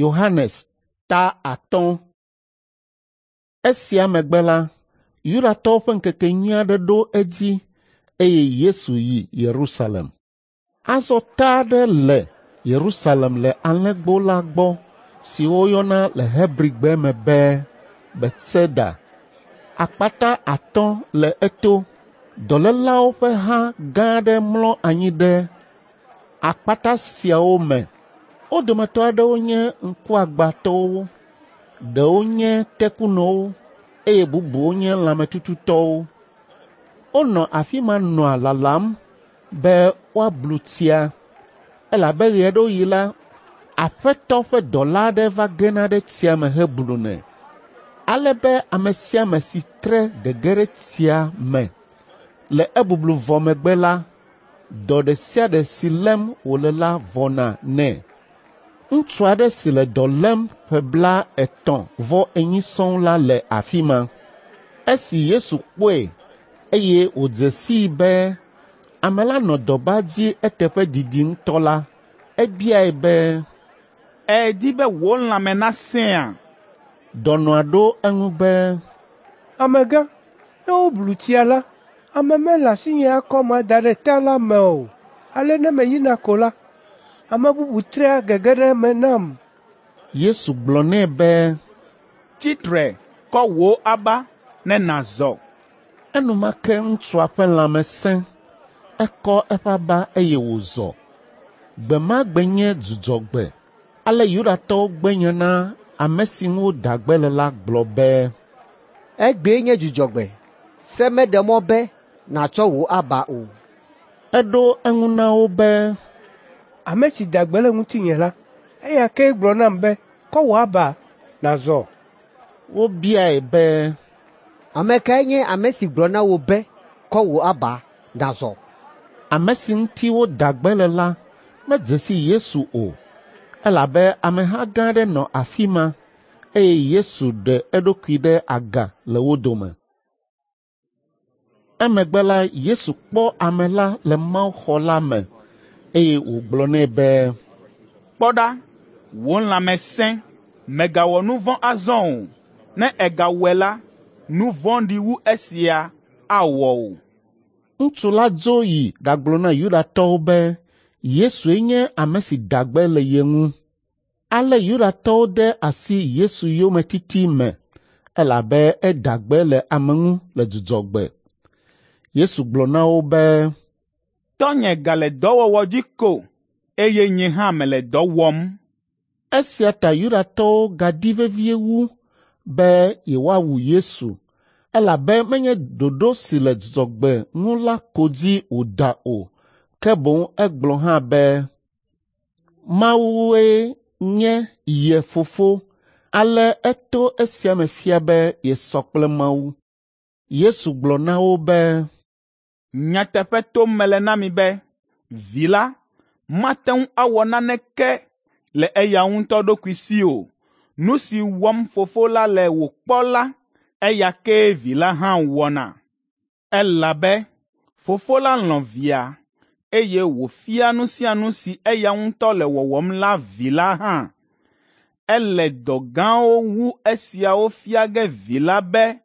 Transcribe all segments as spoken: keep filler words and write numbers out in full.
Yohanes ta atɔ̃. Esia megbe la, Yudatɔwo ƒe ŋkekenyui aɖe ɖo edzi eye Yesu yi Yerusalem. Azɔ ta aɖe le Yerusalem le Alẽgbo la gbɔ si woyɔna le Hebrigbe me be Betseda. Akpata atɔ̃ le eto. Dɔlélawo ƒe ha gã aɖe mlɔ anyi ɖe akpata siawo me. Wo dometɔ aɖewo nye ŋkuagbãtɔwo, ɖewo nye tekunɔwo eye bubuwo nye lãmetututɔwo. Wonɔ afi ma nɔa lalam be woablu tsia, elabe ɣe aɖewo ɣi la, Aƒetɔ ƒe dɔla aɖe va gena ɖe tsia me heblunɛ, ale be ame sia ame si tre gege ɖe tsia me le ebublu vɔ megbe la, dɔ ɖe sia ɖe si lém wòle la vɔna nɛ. Ŋutsu aɖe si le dɔ lém ƒe blaetɔ̃ vɔ enyi sɔŋ la le afi ma. Esi Yesu kpɔe eye wòdze sii be ame la nɔ dɔba dzi eteƒe didi ŋutɔ la, ebiae be, “Èdi be wò lãme nasẽa?” Dɔnɔa ɖo eŋu be, “Amegã, ne woblu tsia la, ame mele asinye akɔm ada ɖe ta la me o. Ale ne meyina ko la, ame bubu trea gege ɖe eme nam.” Yesu gblɔ nɛ be, “Tsi tre, kɔ wò aba ne nàzɔ.” Enumake ŋutsua ƒe lãme sẽ, ekɔ eƒe aba eye wòzɔ. Gbe ma gbe nye Dzudzɔgbe. Ale Yudatɔwo gbe nya na ame si ŋu woda gbe le la gblɔ be, “Egbee nye Dzudzɔgbe. Se meɖe mɔ be nàtsɔ wò aba o.” Eɖo eŋu na wo be, “Ame si da gbe le ŋutinye la, eya kee gblɔ nam be, ‘Kɔ wò aba nàzɔ.’ ” Wobiae be, “Ame kae nye ame si gblɔ na wò be, ‘Kɔ wò aba nàzɔ?’ ” Ame si ŋuti woda gbe le la medze si Yesu o, elabe ameha gã aɖe nɔ afi ma eye Yesu ɖe eɖokui ɖe aga le wo dome. Emegbe la Yesu kpɔ ame la le mawuxɔ la me eye wògblɔ nɛ be, “Kpɔ ɖa, wò lãme sẽ, mègawɔ nu vɔ̃ azɔ o. Ne ègawɔe la, nu vɔ̃ɖi wu esia awɔ wò.” Ŋutsu la dzo yi ɖagblɔ na Yudatɔwo be Yesue nye ame si da gbe le ye ŋu. Ale Yudatɔwo de asi Yesu yometiti me elabe eda gbe le ame ŋu le Dzudzɔgbe. Yesu gblɔ na wo be, “Tɔnye gale dɔwɔwɔ dzi ko eye nye hã mele dɔ wɔm.” Esia ta Yudatɔwo gadi vevie wu be yewoawu Yesu elabe menye ɖoɖo si le Dzudzɔgbe ŋu la ko dzi wòda o, ke boŋ egblɔ hã be Mawue nye ye fofo ale eto esia me fia be yesɔ kple Mawu. Yesu gblɔ na wo be, “Nyateƒe tom mele na mi be Vi la mate ŋu awɔ naneke le eya ŋutɔ ɖokui si o. Nu si wɔm Fofo la le wòkpɔ la, eya kee Vi la hã wɔna. Elabe Fofo la lɔ̃ Via, eye wòfia nu sia nu si eya ŋutɔ le wɔwɔm la Vi la hã. Ele dɔ gãwo wu esiawo fia ge Vi la be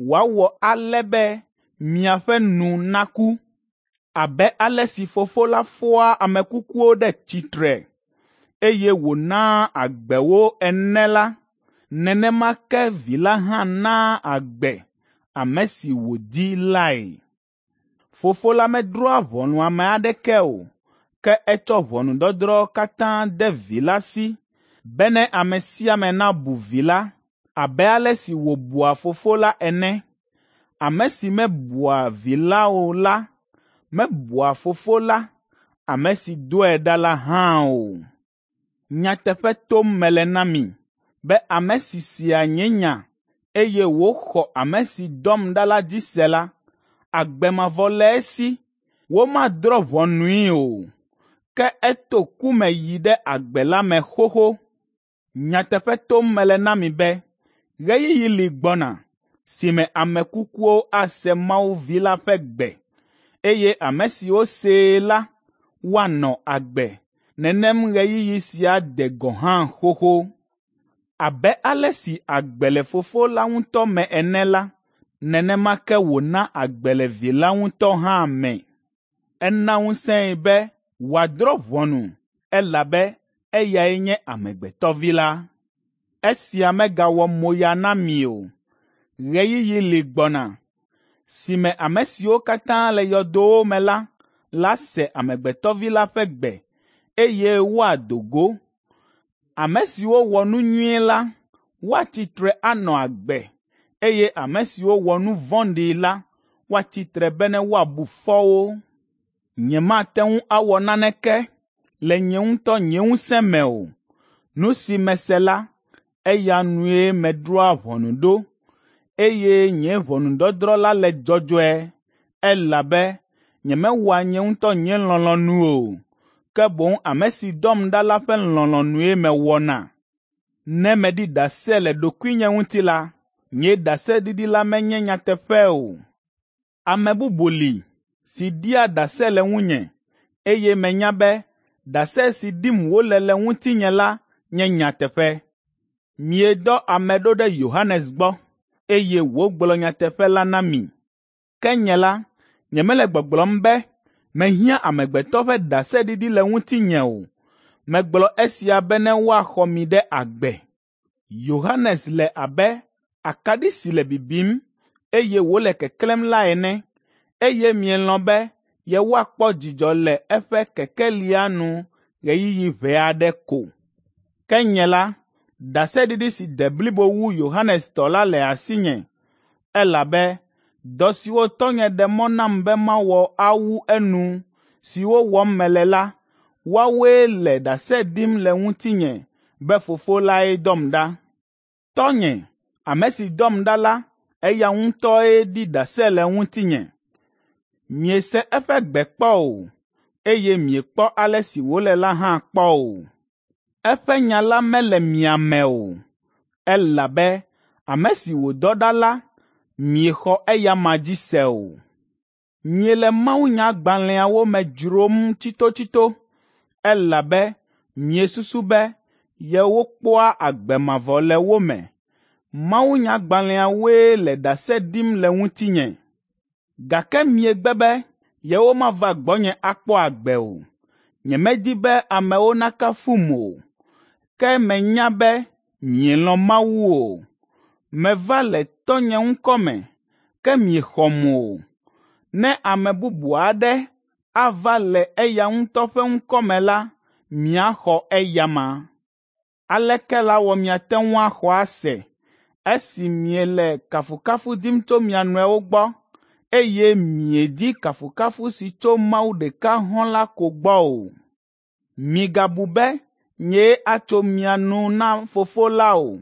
wòawɔ ale be miaƒe nu naku. Abe ale si Fofo la fɔa ame kukuwo ɖe tsitre, eye wònaa agbe wo ene la, nenema ke Vi la hã naa agbe ame si wòdi lae. Fofo la medrɔ̃a ʋɔnu ame aɖeke o, ke etsɔ ʋɔnudɔdrɔ̃ katã de Vi la si bene ame sia ame nabu Vi la abe ale si wòbua Fofo la ene. Ame si mebua Vi la o la, mebua Fofo la, ame si dɔe ɖa la hã o. Nyateƒe tom mele na mi be ame si sea nye nya eye wòxɔ ame si dɔm ɖa la dzi se la, agbe mavɔ le esi. Womadrɔ̃ ʋɔnui o, ke eto ku me yi ɖe agbe la me xoxo. Nyateƒe tom mele na mi be ɣeyiɣi li gbɔna si me ame kukuwo ase Mawu Vi la ƒe gbe, eye ame siwo see la woanɔ agbe. Nenem ɣeyiɣi sia de gɔ̃ hã xoxo. Abe ale si agbe le Fofo la ŋutɔ me ene la, nenema ke wòna agbe le Vi la ŋutɔ hã me. Ena ŋusẽe be wòadrɔ̃ ʋɔnu, elabe eyae nye Amegbetɔ Vi la. Esia megawɔ moya na mi o. Ɣeyiɣi li gbɔna si me ame siwo katã le yɔdowo me la la se Amegbetɔ Vi la ƒe gbe, eye woado go. Ame siwo wɔ nu nyui la, woatsi tre anɔ agbe, eye ame siwo wɔ nu vɔ̃ɖi la, woatsi tre bene woabu fɔ wo. Nyemate ŋu awɔ naneke le nye ŋutɔ nye ŋusẽ me o. Nu si mese la, eya nue medrɔ̃a ʋɔnu ɖo, eye nye ʋɔnudɔdrɔ̃ la le dzɔdzɔe, elabe nyemewɔa nye ŋutɔ nye lɔlɔ̃nu o, ke boŋ ame si dɔm ɖa la ƒe lɔlɔ̃nue mewɔna. Ne meɖi ɖase le ɖokuinye ŋuti la, nye ɖaseɖiɖi la menye nyateƒe o. Ame bubu li si ɖia ɖase le ŋunye, eye menya be ɖase si ɖim wòle le ŋutinye la nye nyateƒe. Miedɔ ame ɖo ɖe Yohanes gbɔ, eye wògblɔ nyateƒe la na mi. Ke nye la, nyemele gbɔgblɔm be mehiã amegbetɔ ƒe ɖaseɖiɖi le ŋutinye o. Megblɔ esia bene woaxɔ mi ɖe agbe. Yohanes le abe akaɖi si le bibim, eye wòle keklẽm la ene, eye mielɔ̃ be yewoakpɔ dzidzɔ le eƒe kekelia nu ɣeyiɣi ʋɛ aɖe ko. Ke nye la, ɖaseɖiɖi si de blibo wu Yohanes tɔ la le asinye, elabe dɔ siwo tɔnye ɖe mɔ nam be mawɔ awu enu, siwo wɔm mele la, woawoe le ɖase ɖim le ŋutinye be Fofo lae dɔm ɖa. Tɔnye, ame si dɔm ɖa la, eya ŋutɔe ɖi ɖase le ŋutinye. Miese eƒe gbe kpɔ o, eye miekpɔ ale si wòle la hã kpɔ o. Eƒe nya la mele mia me o, elabe ame si wòdɔ ɖa la, miexɔ eya ma dzi se o. Miele mawunyagbalẽawo me dzrom tsitotsito, elabe miesusu be yewokpɔa agbe mavɔ le wo me. Mawunyagbalẽawoe le ɖase ɖim le ŋutinye, gake miegbe be yewomava gbɔnye akpɔ agbe o. Nyemedi be amewo nakafum o, ke menya be mielɔ̃ Mawu o. Meva le tɔnye ŋkɔ me, ke miexɔm o. Ne ame bubu aɖe ava le eya ŋutɔ ƒe ŋkɔ me la, miaxɔ eyama. Aleke lawɔ miate ŋu axɔ ase esi miele kafukafu dim tso mia nɔewo gbɔ, eye miedi kafukafu si tso Mawu ɖeka hɔ̃ la ko gbɔ o? Migabu be nyee atso mia nu na Fofo la o.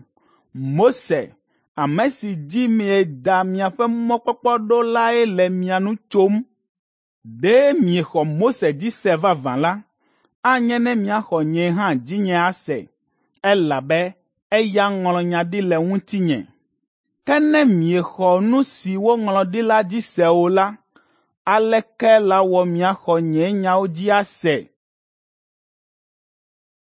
Mose, ame si dzi mieda miaƒe mɔkpɔkpɔ ɖo lae le mia nu tsom. Ɖe miexɔ Mose dzi se vavã la, anye ne miaxɔ nye hã dzinye ase, elabe eya ŋlɔ nya ɖi le ŋutinye. Ke ne miexɔ nu si woŋlɔ ɖi la dzi se o la, aleke lawɔ miaxɔ nye nyawo dzi ase?